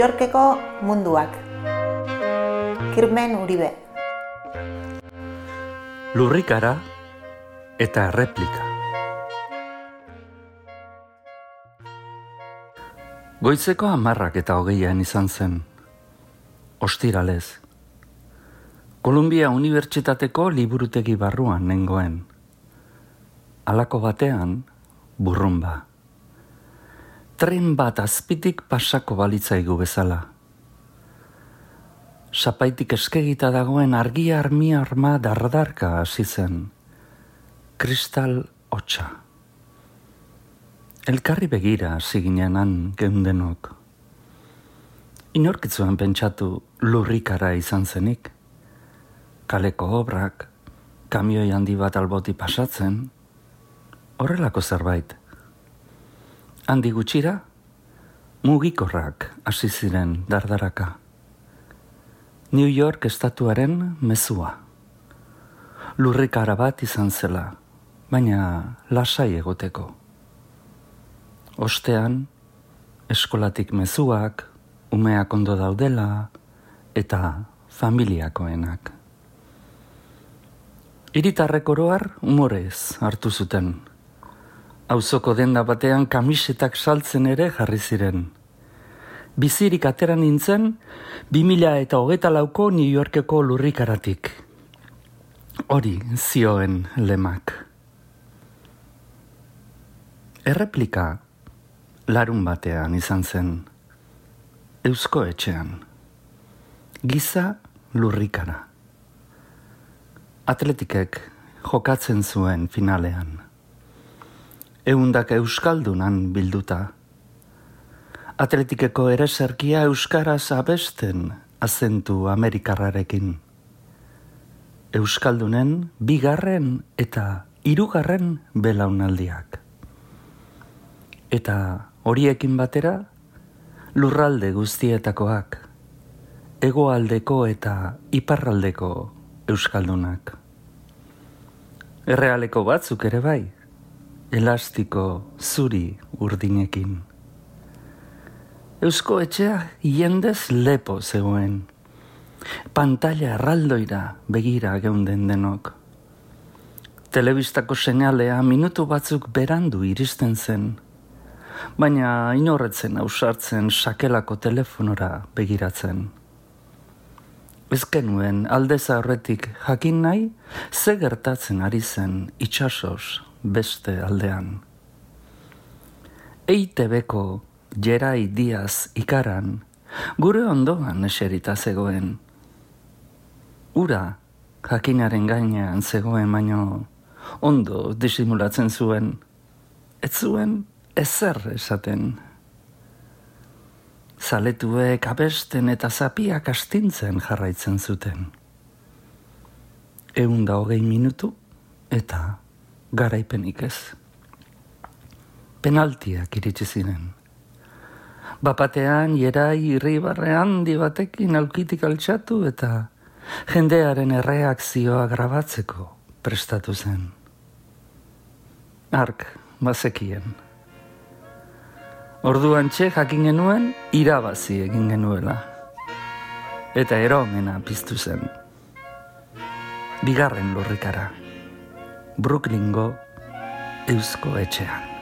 Yorkeko munduak. Kirmen Uribe. Lurrikara eta erreplika. Goizeko 10:20 izan zen, ostiralez. Kolumbia Unibertsitateko liburutegi barruan nengoen. Halako batean, burrunba. Tren bat azpitik pasako balitzaigu bezala. Sapaitik eskegita dagoen argia arma dardarka hasi zen. Kristal hotsa. Elkarri begira hasi ginenan geundenok. Inorkitzuen pentsatu lurrikara izan zenik. Kaleko obrak, kamioi handi bat alboti pasatzen, horrelako zerbait. Handi gutxira, mugikorrak hasi ziren dardaraka. New York estatuaren mezua. Lurrikara bat izan zela, baina lasai egoteko. Ostean, eskolatik mezuak, umeak ondo daudela eta familiakoenak. Hiritarrek oroar umorez hartu zuten. Auzoko denda batean kamisetak saltzen ere jarri ziren. Bizirik atera nintzen 2024ko New Yorkeko lurrikaratik. Hori zioen lemak. Erreplika larun batean izan zen. Eusko Etxean. Giza lurrikara. Atletikek jokatzen zuen finalean. 100 euskaldunan bilduta. Atletikeko ereserkia euskaraz abesten azentu amerikarrarekin. Euskaldunen 2. eta 3. belaunaldiak. Eta horiekin batera, lurralde guztietakoak, hegoaldeko eta iparraldeko euskaldunak. Errealeko batzuk ere bai, elastiko zuri urdinekin. Eusko Etxea jendez lepo zegoen. Pantalla erraldoira begira geunden denok. Telebistako seinalea minutu batzuk berandu iristen zen, baina inorretzen ausartzen sakelako telefonora begiratzen. Ez genuen aldez aurretik jakin nahi ze gertatzen ari zen itsasoz beste aldean. EITB-ko Jerai Diaz ikaran gure ondoan eserita zegoen. Ura jakinaren gainean zegoen baino ondo disimulatzen zuen. Ez zuen ezer esaten. Zaletuek abesten eta zapiak astintzen jarraitzen zuten. 120 minutu eta garaipenik ez. Penaltiak iritsi ziren. Bapatean Jerai irribarre handi batekin aulkitik altxatu eta jendearen erreakzioa grabatzeko prestatu zen. Ark bazekien. Orduan jakin genuen irabazi egin genuela. Eta eromena piztu zen. 2. lurrikara. Brooklyngo Eusko Etxean.